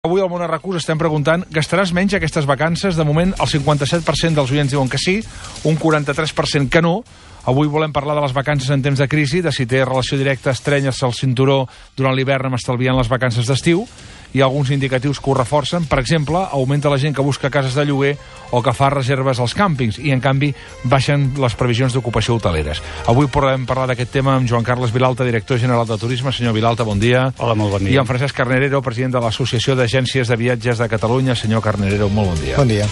Avui al Món Arracús estem preguntant, gastaràs menys aquestes vacances? De moment, el 57% dels oients diuen que sí, un 43% que no. Avui volem parlar de les vacances en temps de crisi, de si té relació directa estrenyes-se el cinturó durant l'hivern amb estalviant les vacances d'estiu. Hi ha alguns indicatius que ho reforcen. Per exemple, augmenta la gent que busca cases de lloguer o que fa reserves als càmpings i, en canvi, baixen les previsions d'ocupació hoteleres. Avui podem parlar d'aquest tema amb Joan Carles Vilalta, director general de Turisme. Senyor Vilalta, bon dia. Hola, molt bon dia. I en Francesc Carnerero, president de l'Associació d'Agències de Viatges de Catalunya. Senyor Carnerero, molt bon dia. Bon dia.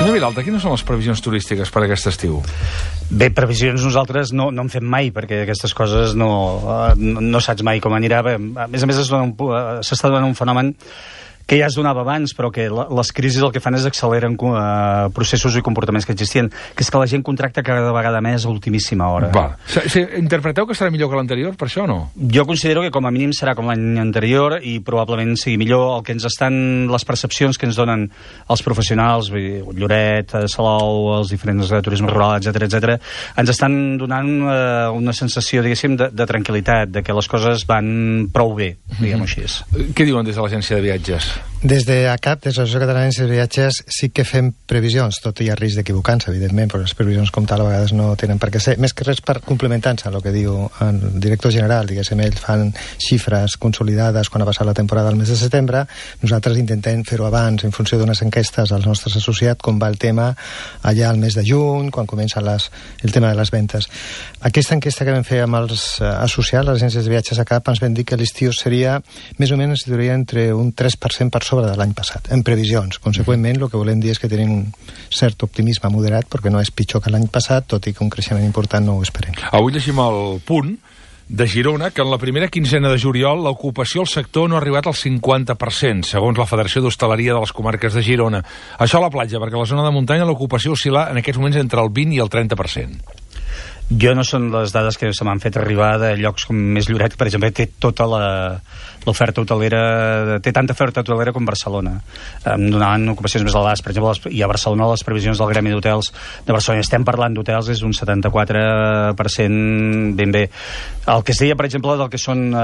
Senyor Vilalta, quines són les previsions turístiques per aquest estiu? Bé, previsions nosaltres no en fem mai, perquè aquestes coses no saps mai com anirà. A més, s'està donant un fenomen que ja es donava abans, però que les crisis el que fan és acceleren processos i comportaments que existien, que és que la gent contracta cada vegada més a ultimíssima hora. Va. Interpreteu que serà millor que l'anterior, per això o no? Jo considero que com a mínim serà com l'any anterior i probablement sigui millor. El que ens estan, les percepcions que ens donen els professionals, Lloret, Salou, els diferents de turisme rural, etc, ens estan donant una sensació, diguéssim, de tranquil·litat, de que les coses van prou bé, diguem-ho així. Què diuen des de l'agència de viatges? Des de ACAP, des de l'Associació Catalana de Viatges, sí que fem previsions, tot hi ha risc d'equivocar-se, evidentment, però les previsions com tal a vegades no tenen per què ser. Més que res per complementar-se a el que diu el director general, diguéssim, ells fan xifres consolidades quan ha passat la temporada del mes de setembre, nosaltres intentem fer-ho abans en funció d'unes enquestes als nostres associats, com va el tema allà al mes de juny, quan comença el tema de les ventes. Aquesta enquesta que vam fer amb els associats, les agències de viatges ACAP, ens vam dir que l'estiu seria, més o menys, entre un 3% per sobre de l'any passat, en previsions. Conseqüentment, el que volem dir és que tenim un cert optimisme moderat, perquè no és pitjor que l'any passat, tot i que un creixement important no ho esperem. Avui llegim el Punt de Girona, que en la primera quinzena de juliol l'ocupació al sector no ha arribat al 50%, segons la Federació d'Hostaleria de les Comarques de Girona. Això a la platja, perquè a la zona de muntanya l'ocupació oscil·la en aquests moments entre el 20 i el 30%. Jo no són les dades que se m'han fet arribar de llocs com més Lloret, per exemple, té tota l'oferta hotelera, té tanta oferta hotelera com Barcelona. Em donaven ocupacions més elevades. Per exemple, i a Barcelona les previsions del Gremi d'Hotels de Barcelona, estem parlant d'hotels, és un 74% ben bé. El que es deia, per exemple, del que són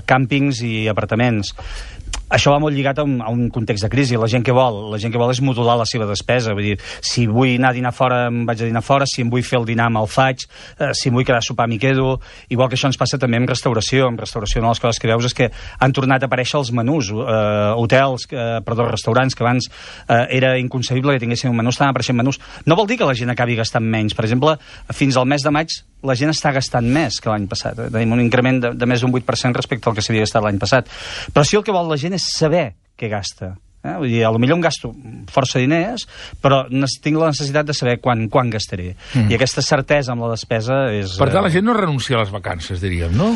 càmpings i apartaments, això va molt lligat a un context de crisi. La gent que vol és modular la seva despesa. Vull dir, si vull anar a dinar fora, em vaig a dinar fora, si em vull fer el dinar me'l faig, si em vull quedar a sopar m'hi quedo. Igual que això ens passa també amb restauració. En restauració una de les coses que veus és que han tornat a aparèixer els menús. Restaurants que abans era inconcebible que tinguessin un menú, estan apareixent menús. No vol dir que la gent acabi gastant menys. Per exemple, fins al mes de maig la gent està gastant més que l'any passat. Tenim un increment de més d'un 8% respecte al que s'havia gastat l'any passat. Però sí, el que vol la gent és saber què gasta. Vull dir, potser em gasto força diners, però tinc la necessitat de saber quan gastaré. I aquesta certesa amb la despesa és... Per tant, la gent no renuncia a les vacances, diríem, no?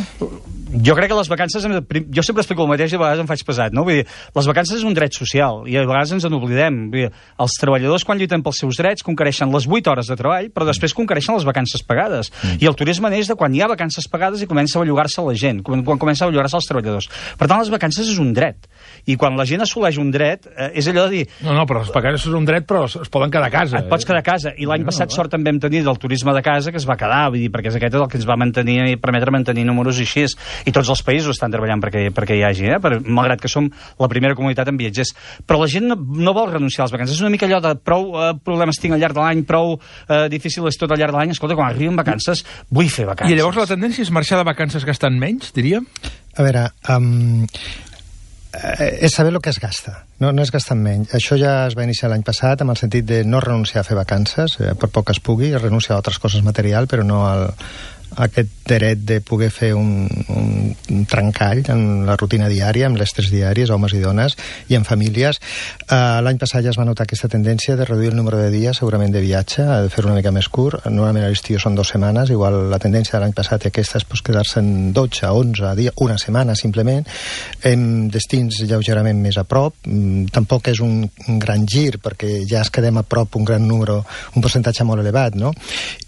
Jo crec que les vacances... Jo sempre explico el mateix i a vegades em faig pesat, no? Vull dir, les vacances és un dret social i a vegades ens en oblidem. Vull dir, els treballadors, quan lluiten pels seus drets, conquereixen les 8 hores de treball, però després conquereixen les vacances pagades. I el turisme neix de quan hi ha vacances pagades i comença a bellugar-se la gent, quan comença a bellugar-se els treballadors. Per tant, les vacances és un dret. I quan la gent assoleix un dret, és allò de dir... No, però les vacances és un dret, però es poden quedar a casa. Et pots quedar a casa. I l'any passat sort també vam tenir del turisme de casa, que es va quedar, vull dir, perquè aquest és el que ens va mantenir i permetre mantenir números i així. I tots els països estan treballant perquè hi hagi, malgrat que som la primera comunitat en viatgers. Però la gent no vol renunciar a les vacances. És una mica allò de prou problemes tinc al llarg de l'any, prou difícil és tot al llarg de l'any. Escolta, quan arriben vacances, vull fer vacances. I llavors la tendència és marxar de vacances gastant menys, diríem? A veure... és saber el que es gasta, no és gastar menys. Això ja es va iniciar l'any passat amb el sentit de no renunciar a fer vacances, per poc que es pugui, renunciar a altres coses materials, però no aquest dret de poder fer un trencall en la rutina diària, amb l'estrès diaris, homes i dones, i en famílies. L'any passat ja es va notar aquesta tendència de reduir el número de dies, segurament de viatge, de fer una mica més curt. Normalment a l'estiu són 2 setmanes, igual la tendència de l'any passat i aquesta és quedar-se en 12, 11 dies, una setmana simplement, en destins lleugerament més a prop. Tampoc és un gran gir, perquè ja es quedem a prop un gran número, un percentatge molt elevat, no?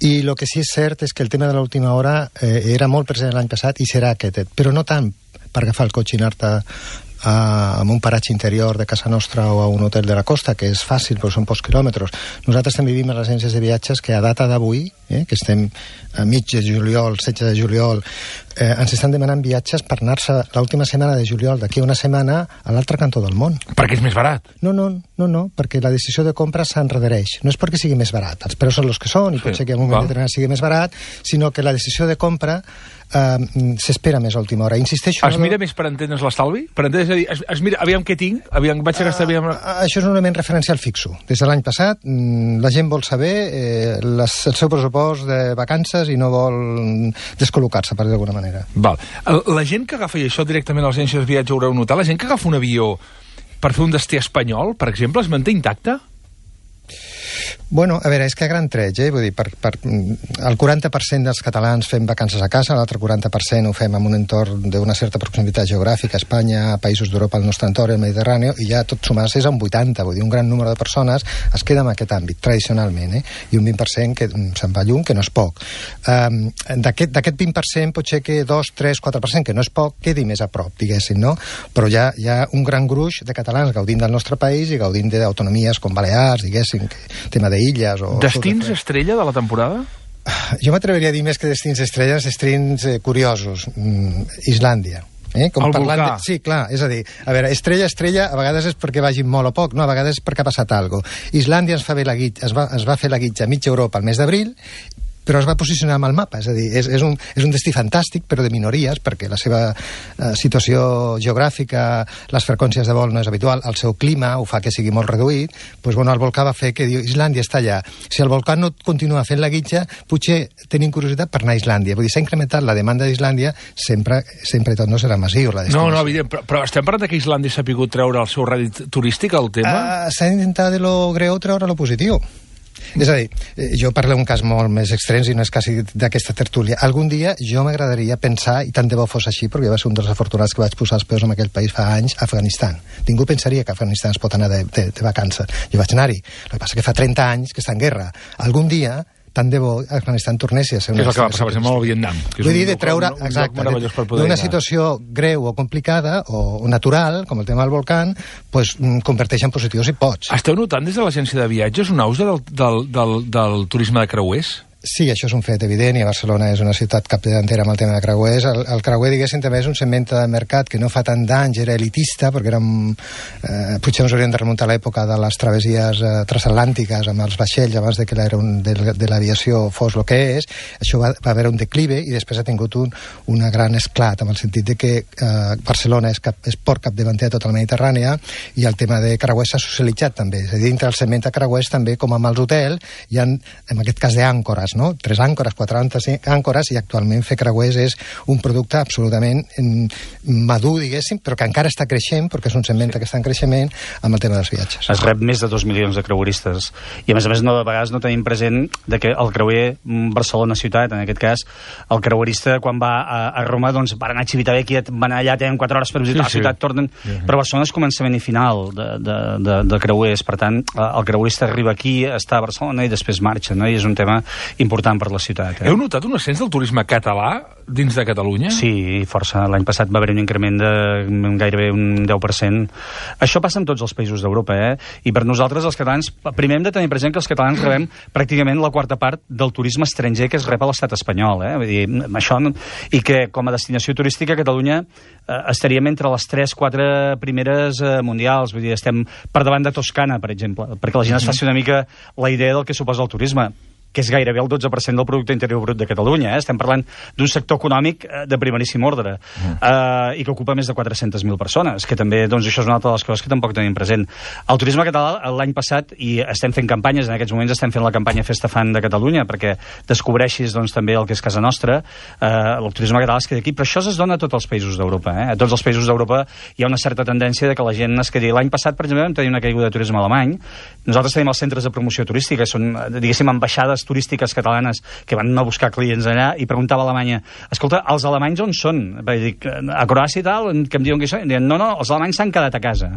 I el que sí és cert és que el tema de l'última hora era molt present l'any passat i serà aquest, però no tant per agafar el cotxe i anar-te en un paratge interior de casa nostra o a un hotel de la costa, que és fàcil, però són pocs quilòmetres. Nosaltres també vivim a les agències de viatges que a data d'avui, que estem a mig de juliol, 16 de juliol, ens estan demanant viatges per anar-se l'última setmana de juliol, d'aquí a una setmana, a l'altre cantó del món. Perquè és més barat. No, perquè la decisió de compra s'enredereix. No és perquè sigui més barat, els preus són els que són, i pot ser que en un moment determinat sigui més barat, sinó que la decisió de compra s'espera més a última hora. Insisteixo... Es mira més per entendre's l'estalvi? Per entendre's, és a dir, es mira, aviam què tinc, aviam, vaig a gastar... Això és un element referencial fixo. Des de l'any passat, la gent vol saber el seu pressupost de vacances i no vol descol·locar-se, per dir d'alguna manera. Val. La gent que agafa, i això directament a les agències de viatge ho haureu notat, la gent que agafa un avió per fer un destí espanyol, per exemple, es manté intacte? Bueno, a veure, és que a gran tret, vull dir, el 40% dels catalans fem vacances a casa, l'altre 40% ho fem en un entorn d'una certa proximitat geogràfica, Espanya, països d'Europa, el nostre entorn, el Mediterrani, i ja tot sumar-se és un 80%, vull dir, un gran número de persones es queda en aquest àmbit, tradicionalment, i un 20% que se'n va lluny, que no és poc. D'aquest 20% potser que 2, 3, 4%, que no és poc, quedi més a prop, diguéssim, no? Però hi ha un gran gruix de catalans gaudint del nostre país i gaudint d'autonomies com Balears, diguéssim, tema d'illes o... Destins estrella de la temporada? Jo m'atreveria a dir més que destins estrelles, destins curiosos. Islàndia. Com el volcà. Sí, clar, és a dir, a veure, estrella, a vegades és perquè vagin molt o poc, no, a vegades és perquè ha passat alguna cosa. Islàndia es va fer la guitza a mitja Europa al mes d'abril, però es va posicionar amb el mapa, és a dir, és un destí fantàstic, però de minories, perquè la seva situació geogràfica, les freqüències de vol no és habitual, el seu clima ho fa que sigui molt reduït, doncs, bueno, el volcà va fer que diu, Islàndia està allà. Si el volcà no continua fent la guitza, potser tenim curiositat per anar a Islàndia. Vull dir, s'ha incrementat la demanda d'Islàndia, sempre i tot no serà massiu la destinació. No, evident, però estem parlant que Islàndia s'ha pogut treure el seu rèdit turístic, el tema? S'ha d'intentar de lo greu treure lo positiu. És a dir, jo parlo d'un cas molt més extrem i no és quasi d'aquesta tertúlia. Algun dia jo m'agradaria pensar, i tant de bo fos així, perquè jo va ser un dels afortunats que vaig posar els peus en aquell país fa anys, Afganistan. Ningú pensaria que Afganistan es pot anar de vacances. Jo vaig anar-hi. El que passa que fa 30 anys que està en guerra. Algun dia, tant de bo, Afganistan tornessi a ser una... És el que va passar, per exemple, al Vietnam. Vull dir, de treure, exacte, d'una situació greu o complicada o natural, com el tema del volcà, pues, converteix en positiu si pots. Esteu notant des de l'agència de viatges un auge del turisme de creuers? Sí, això és un fet evident, i a Barcelona és una ciutat capdavantera amb el tema de creuers. El creuer, diguéssim, també és un segment de mercat que no fa tant d'anys, era elitista, perquè potser ens hauríem de remuntar a l'època de les travessies transatlàntiques amb els vaixells, abans de que de l'aviació fos el que és. Això va haver un declive i després ha tingut una gran esclat, amb el sentit de que Barcelona és port capdavanter a tota la Mediterrània, i el tema de creuers s'ha socialitzat també. És a dir, dintre del segment de creuers també, com amb els hotels, hi ha, en aquest cas d'àncores, no? 3 àncores, 4 àncores, i actualment fer creuers és un producte absolutament madur, diguéssim, però que encara està creixent, perquè és un segment que està en creixement amb el tema dels viatges. Es rep més de 2 milions de creueristes, i a més, de vegades no tenim present de que el creuer Barcelona ciutat, en aquest cas, el creuerista quan va a Roma, doncs per anar a Civitavecchia, van allà, tenen 4 hores per visitar la ciutat, tornen... Però Barcelona és començament i final de creuers, per tant, el creuerista arriba aquí, està a Barcelona i després marxa, no? I és un tema important per la ciutat. Heu notat un ascens del turisme català dins de Catalunya? Sí, força. L'any passat va haver un increment de gairebé un 10%. Això passa en tots els països d'Europa, I per nosaltres, els catalans, primer hem de tenir present que els catalans rebem pràcticament la quarta part del turisme estranger que es rep a l'estat espanyol, Vull dir, això... I que, com a destinació turística, Catalunya estaríem entre les 3-4 primeres mundials. Vull dir, estem per davant de Toscana, per exemple, perquè la gent es faci una mica la idea del que suposa el turisme, que és gairebé el 12% del producte interior brut de Catalunya. Estem parlant d'un sector econòmic de primeríssim ordre i que ocupa més de 400.000 persones, que també, doncs, això és una altra de les coses que tampoc tenim present. El turisme català, l'any passat, i estem fent campanyes, en aquests moments estem fent la campanya Festa Fan de Catalunya, perquè descobreixis, doncs, també el que és casa nostra, el turisme català es queda aquí, però això es dona a tots els països d'Europa. A tots els països d'Europa hi ha una certa tendència de que la gent es quedi. L'any passat, per exemple, vam tenir una caiguda de turisme alemany. Nosaltres tenim els centres de promoció turística, són, diguéssim, ambaixades turístiques catalanes que van a buscar clients allà, i preguntava a Alemanya, escolta, els alemanys on són? Vaig dir, a Croàcia i tal, que em diuen que són? Diuen, no, els alemanys s'han quedat a casa.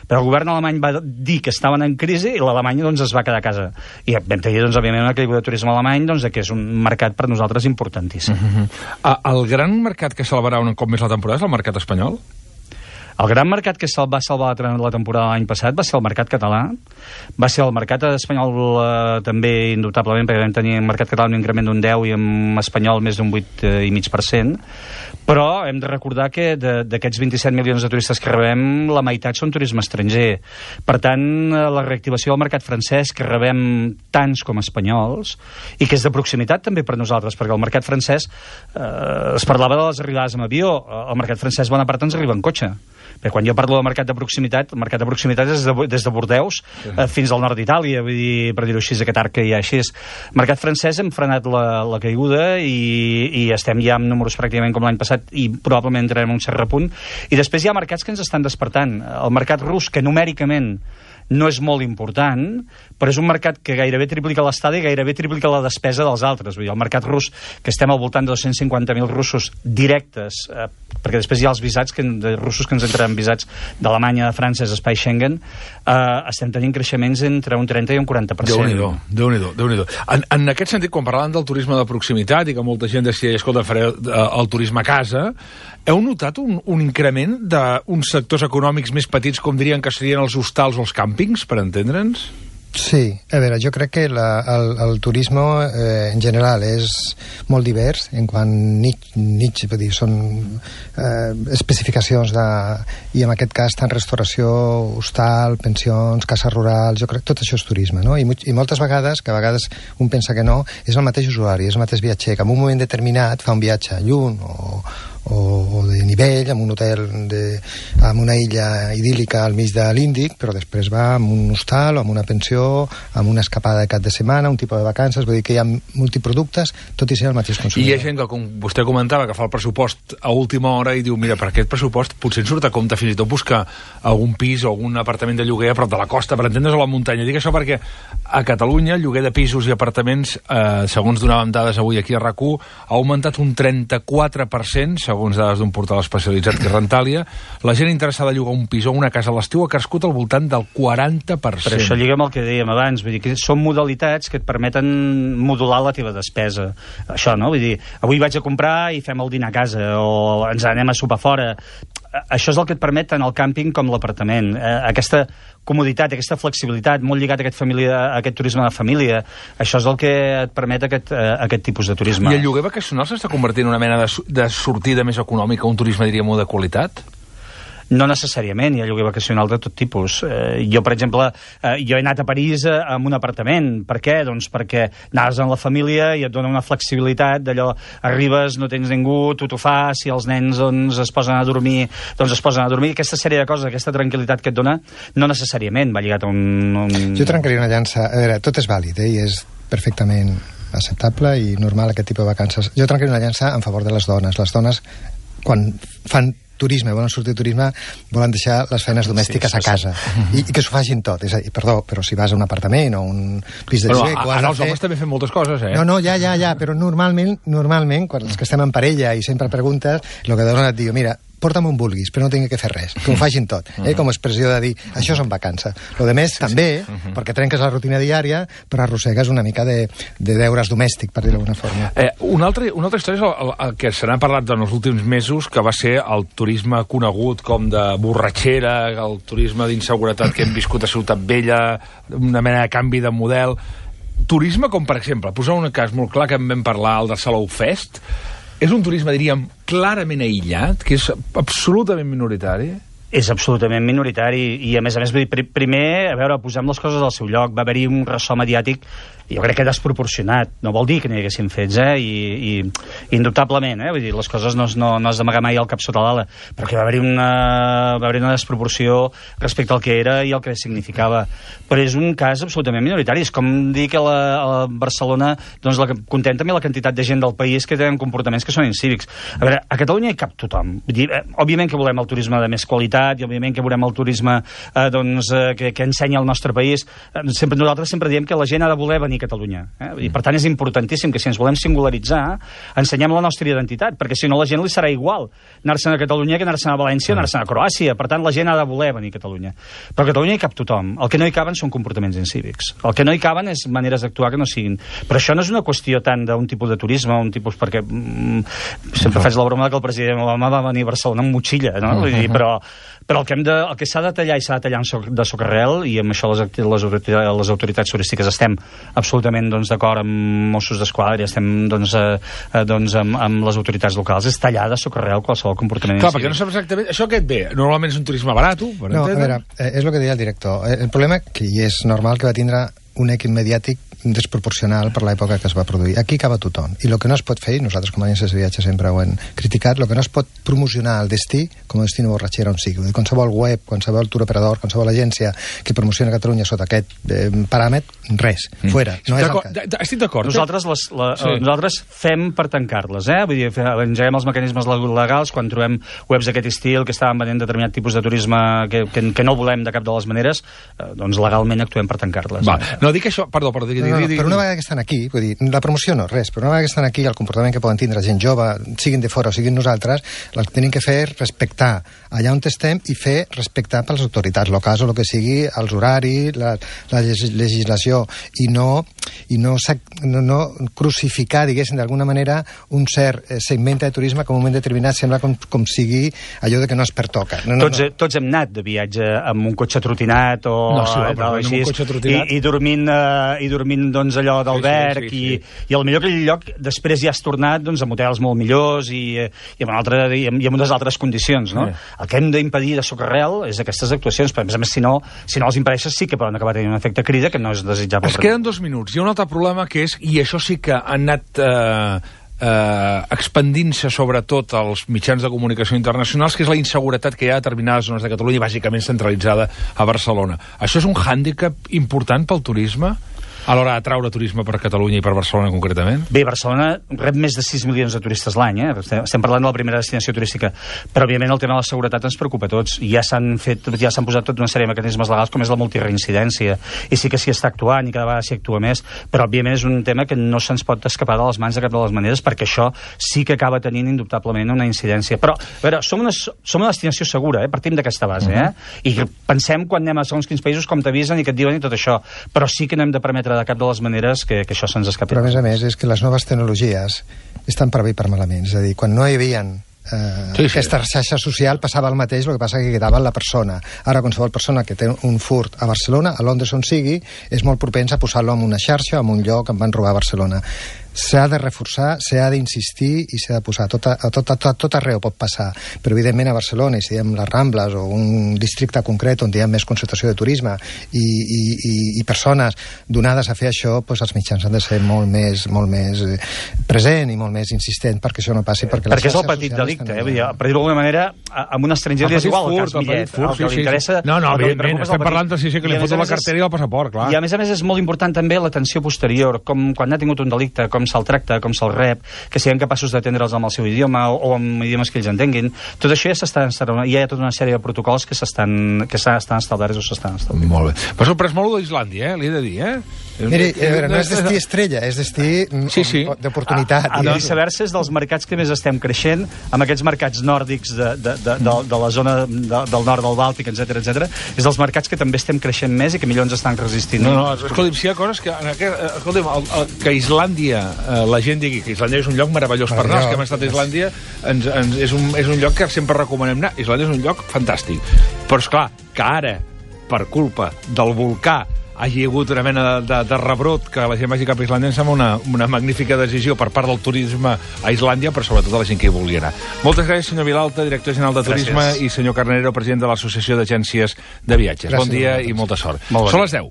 Però el govern alemany va dir que estaven en crisi i l'Alemanya, doncs, es va quedar a casa. I vam tenir, doncs, òbviament, una caiguda de turisme alemany, doncs, que és un mercat per nosaltres importantíssim. El gran mercat que celebrarà un cop més la temporada és el mercat espanyol? El gran mercat que va salvar la temporada l'any passat va ser el mercat català, va ser el mercat espanyol també indubtablement, perquè vam tenir el mercat català un increment d'un 10 i en espanyol més d'un 8,5%, però hem de recordar que d'aquests 27 milions de turistes que rebem, la meitat són turisme estranger. Per tant, la reactivació del mercat francès, que rebem tants com espanyols, i que és de proximitat també per nosaltres, perquè el mercat francès, es parlava de les arribades amb avió, el mercat francès bona part ens arriba en cotxe. Perquè quan jo parlo del mercat de proximitat, el mercat de proximitat és des de Bordeus fins al nord d'Itàlia, vull dir, per dir-ho així, aquest arc que hi ha així. El mercat francès hem frenat la caiguda i estem ja amb números pràcticament com l'any passat i probablement entrarem un cert repunt. I després hi ha mercats que ens estan despertant. El mercat rus, que numèricament no és molt important, però és un mercat que gairebé triplica l'estada i gairebé triplica la despesa dels altres. Vull dir, el mercat rus, que estem al voltant de 250.000 russos directes, perquè després hi ha els visats de russos que ens entraran visats d'Alemanya, de França, d'Espai Schengen, estem tenint creixements entre un 30 i un 40%. Déu-n'hi-do. En aquest sentit, quan parlàvem del turisme de proximitat i que molta gent decideix, escolta, faré el turisme a casa, heu notat un increment d'uns sectors econòmics més petits, com dirien que serien els hostals o els càmpings, per entendre'ns? Sí, a veure, jo crec que el turisme en general és molt divers en quant niche, vull dir, són especificacions i en aquest cas tant restauració, hostal, pensions, cases rurals, jo crec que tot això és turisme, no? I moltes vegades, que a vegades un pensa que no, és el mateix usuari, és el mateix viatger, que en un moment determinat fa un viatge lluny o de nivell, amb un hotel amb una illa idíl·lica al mig de l'Índic, però després va amb un hostal o amb una pensió, amb una escapada de cap de setmana, un tipus de vacances, vull dir que hi ha multiproductes, tot i ser el mateix consumidor. I hi ha gent que, com vostè comentava, que fa el pressupost a última hora i diu, mira, per aquest pressupost potser ens surt a compte fins i tot buscar algun pis o algun apartament de lloguer a prop de la costa, per entendre's, a la muntanya. Dic això perquè a Catalunya el lloguer de pisos i apartaments, segons donàvem dades avui aquí a RAC1, ha augmentat un 34%, segons dades d'un portal especialitzat que és Rentàlia. La gent interessada a llogar un pis o una casa a l'estiu ha crescut al voltant del 40%. Per això lliga amb el que dèiem abans, vull dir que són modalitats que et permeten modular la teva despesa. Això, no? Vull dir, avui vaig a comprar i fem el dinar a casa, o ens anem a sopar fora. Això és el que et permet tant el càmping com l'apartament. Aquesta comoditat, aquesta flexibilitat, molt lligat a aquest turisme de família, això és el que et permet aquest tipus de turisme. I el lloguer vacacional s'està convertint en una mena de sortida més econòmica, un turisme, diríem, de qualitat? No necessàriament, hi ha lloguer vacacional de tot tipus. Jo, per exemple, jo he anat a París amb un apartament. Per què? Doncs perquè anaves amb la família i et dona una flexibilitat d'allò, arribes, no tens ningú, tu t'ho fas, si els nens doncs, es posen a dormir, doncs es posen a dormir. Aquesta sèrie de coses, aquesta tranquil·litat que et dona, no necessàriament va lligat a un... Jo trencaria una llança. A veure, tot és vàlid, i és perfectament acceptable i normal aquest tipus de vacances. Jo trencaria una llança en favor de les dones. Les dones, quan fan turisme, volen sortir de turisme, volen deixar les feines domèstiques a casa i que s'ho facin tot, és a dir, perdó, però si vas a un apartament o un pis de lloguer... Ara els homes també fem moltes coses, eh? No, ja, però normalment, quan els que estem en parella i sempre preguntes, el que dona et diu, mira, porta'm on vulguis, però no tinc que fer res, que ho facin tot, com a expressió de dir, això són vacances. Lo de més, també, perquè trenques la rutina diària, però arrossegues una mica de deures domèstic, per dir-ho d'alguna forma. Una altra història és el que se n'ha parlat en els últims mesos, que va ser el turisme conegut com de borratxera, el turisme d'inseguretat que hem viscut a Ciutat Vella, una mena de canvi de model. Turisme com, per exemple, posar un cas molt clar que en vam parlar, el de Salou Fest, és un turisme, diríem, clarament aïllat, que és absolutament minoritari? És absolutament minoritari i, a més, vull dir, primer, a veure, posem les coses al seu lloc. Va haver-hi un ressò mediàtic, jo crec que desproporcionat. No vol dir que n'hi haguessin fets, i indubtablement, vull dir, les coses no has d'amagar mai el cap sota l'ala, però que va haver-hi una desproporció respecte al que era i el que significava. Però és un cas absolutament minoritari. És com dir que a Barcelona, doncs, contenta-me la quantitat de gent del país que tenen comportaments que són incívics. A veure, a Catalunya hi cap tothom. Vull dir, òbviament que volem el turisme de més qualitat, i òbviament que volem el turisme que ensenya el nostre país. Nosaltres sempre diem que la gent ha de voler venir a Catalunya. I per tant és importantíssim que si ens volem singularitzar ensenyem la nostra identitat, perquè si no la gent li serà igual anar-se'n a Catalunya que anar-se'n a València o anar-se'n a Croàcia. Per tant la gent ha de voler venir a Catalunya. Però a Catalunya hi cap tothom. El que no hi caben són comportaments incívics. El que no hi caben és maneres d'actuar que no siguin. Però això no és una qüestió tant d'un tipus de turisme, un tipus, perquè sempre faig la broma que el president Obama va venir a Barcelona amb motxilla, no? Vull dir, però Però el que s'ha de tallar i s'ha de tallar de socarrel, i amb això les autoritats turístiques estem absolutament d'acord amb Mossos d'Esquadra i estem amb les autoritats locals, és tallar de socarrel qualsevol comportament. Clar, perquè no saps exactament... Això què et ve? Normalment és un turisme barat, per no, a veure, és el que deia el director. El problema, que és normal, que va tindre un èxit mediàtic desproporcional per l'època que es va produir. Aquí acaba tothom. I el que no es pot fer, i nosaltres com a agències de viatge sempre ho hem criticat, el que no es pot promocionar el destí com a destí de borratxera on sigui. Qualsevol web, qualsevol turoperador, qualsevol agència que promociona Catalunya sota aquest paràmetre, res, fora. No és el cas. Estic d'acord. Nosaltres fem per tancar-les, Vull dir, engeguem els mecanismes legals quan trobem webs d'aquest estil que estaven venent determinat tipus de turisme que no volem de cap de les maneres, doncs legalment actuem per tancar-les. No, dic això... Perdó, però una vegada que estan aquí, vull dir, la promoció no, res, però una vegada que estan aquí, el comportament que poden tindre gent jove, siguin de fora o siguin nosaltres, el que tenim que fer és respectar allà on estem i fer respectar per les autoritats locals o el que sigui, els horaris, la legislació, i no crucificar, diguéssim, d'alguna manera, un cert segment de turisme que en un moment determinat sembla com sigui allò de que no es pertoca. Tots hem anat de viatge amb un cotxe trotinat i dormint doncs, allò d'alberg, i potser aquell lloc després ja has tornat amb hotels molt millors i amb unes altres condicions, no? El que hem d'impedir de socarrel és aquestes actuacions, però a més si no els impedeixes sí que poden acabar tenint un efecte crida que no és desitjable. Es queden 2 minuts. Hi ha un altre problema que és, i això sí que ha anat expandint-se sobretot als mitjans de comunicació internacionals, que és la inseguretat que hi ha a determinades zones de Catalunya, bàsicament centralitzada a Barcelona. Això és un hàndicap important pel turisme a l'hora d'atraure turisme per Catalunya i per Barcelona concretament? Bé, Barcelona rep més de 6 milions de turistes l'any, Estem parlant de la primera destinació turística, però òbviament el tema de la seguretat ens preocupa a tots. Ja s'han posat tota una sèrie de mecanismes legals com és la multireincidència, i sí que s'hi està actuant i cada vegada s'hi actua més, però òbviament és un tema que no se'ns pot escapar de les mans de cap de les maneres, perquè això sí que acaba tenint indubtablement una incidència. Però, a veure, som una destinació segura, partim d'aquesta base, i pensem quan anem a segons quins països com t'avisen i que et diuen i tot això, però sí que no hem de permetre de cap de les maneres que això se'ns escapi. Però a més és que les noves tecnologies estan per bé i per malament. És a dir, quan no hi havia aquesta xarxa social passava el mateix, el que passa que quedava la persona. Ara qualsevol persona que té un furt a Barcelona, a Londres on sigui, és molt propens a posar-lo en una xarxa, en un lloc, em van robar a Barcelona. S'ha de reforçar, s'ha d'insistir i s'ha de posar. A tot arreu pot passar, però evidentment a Barcelona, i si diem les Rambles o un districte concret on hi ha més concentració de turisme i persones donades a fer això, doncs els mitjans han de ser molt més present i molt més insistent perquè això no passi. Perquè és el petit delicte, per dir-ho d'alguna manera, amb un estranger és igual el cas bitllet. Evidentment, estem parlant de que li foto la cartera i el passaport, clar. I a més és molt important també l'atenció posterior, com quan ha tingut un delicte, com se'l tracta, com se'l rep, que siguem capaços d'atendre'ls amb el seu idioma o amb idiomes que ells entenguin. Tot això hi ha tota una sèrie de protocols que estan establerts o s'estan establint. Molt bé. M'ha sorprès molt d'Islàndia, li he de dir, Miri, no és destí estrella, és destí d'oportunitat. I viceversa, és dels mercats que més estem creixent, amb aquests mercats nòrdics de la zona del nord del Bàltic, etc. És dels mercats que també estem creixent més i que millor ens estan resistint. Escolti'm, si hi ha coses que... que Islàndia, la gent digui que Islàndia és un lloc meravellós per anar, els que hem estat a Islàndia, és un lloc que sempre recomanem anar. Islàndia és un lloc fantàstic. Però, esclar, que ara, per culpa del volcà, hagi hagut una mena de rebrot que la gent vagi cap a Islàndia, em sembla una magnífica decisió per part del turisme a Islàndia, però sobretot a la gent que hi vulgui anar. Moltes gràcies, senyor Vilalta, director general de Turisme, i senyor Carnero, president de l'Associació d'Agències de Viatges. Bon dia i molta sort. Són les 10.